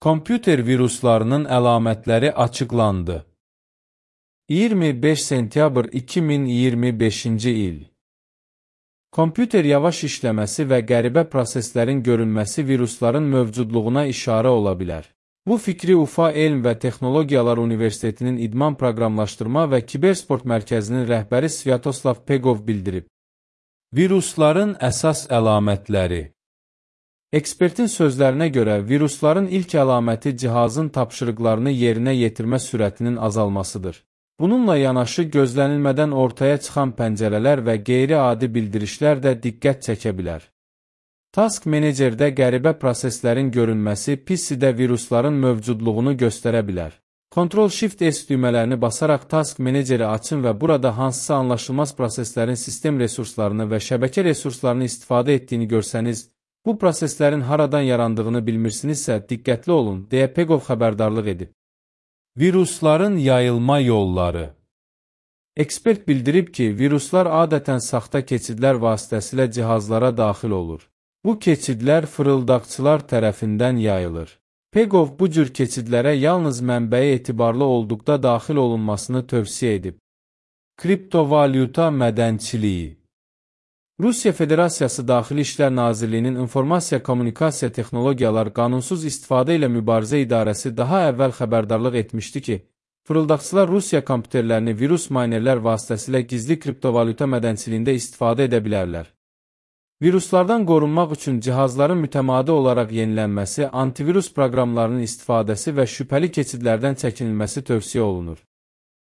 Kompüter viruslarının əlamətləri açıqlandı. 25 sentyabr 2025-ci il. Kompüter yavaş işləməsi və qəribə proseslərin görünməsi virusların mövcudluğuna işarə ola bilər. Bu fikri Ufa Elm və Texnologiyalar Universitetinin İdman Proqramlaşdırma və Kibersport Mərkəzinin rəhbəri Svyatoslav Pegov bildirib. Virusların əsas əlamətləri. Ekspertin sözlərinə görə, virusların ilk əlaməti cihazın tapşırıqlarını yerinə yetirmə sürətinin azalmasıdır. Bununla yanaşı, gözlənilmədən ortaya çıxan pəncərələr və qeyri-adi bildirişlər də diqqət çəkə bilər. Task Managerdə qəribə proseslərin görünməsi PC-də virusların mövcudluğunu göstərə bilər. Ctrl-Shift-S düymələrini basaraq Task Manageri açın və burada hansısa anlaşılmaz proseslərin sistem resurslarını və şəbəkə resurslarını istifadə etdiyini görsəniz, bu proseslərin haradan yarandığını bilmirsinizsə, diqqətli olun, deyə Pegov xəbərdarlıq edib. Virusların yayılma yolları. Ekspert bildirib ki, viruslar adətən saxta keçidlər vasitəsilə cihazlara daxil olur. Bu keçidlər fırıldaqçılar tərəfindən yayılır. Pegov bu cür keçidlərə yalnız mənbəyi etibarlı olduqda daxil olunmasını tövsiyə edib. Kriptovalyuta mədənçiliyi. Rusiya Federasiyası Daxili İşlər Nazirliyinin İnformasiya-Kommunikasiya Texnologiyalar qanunsuz istifadə ilə mübarizə idarəsi daha əvvəl xəbərdarlıq etmişdi ki, fırıldaqçılar Rusiya kompüterlərini virus maynerlər vasitəsilə gizli kriptovalyuta mədənçiliyində istifadə edə bilərlər. Viruslardan qorunmaq üçün cihazların mütəmadi olaraq yenilənməsi, antivirus proqramlarının istifadəsi və şübhəli keçidlərdən çəkinilməsi tövsiyə olunur.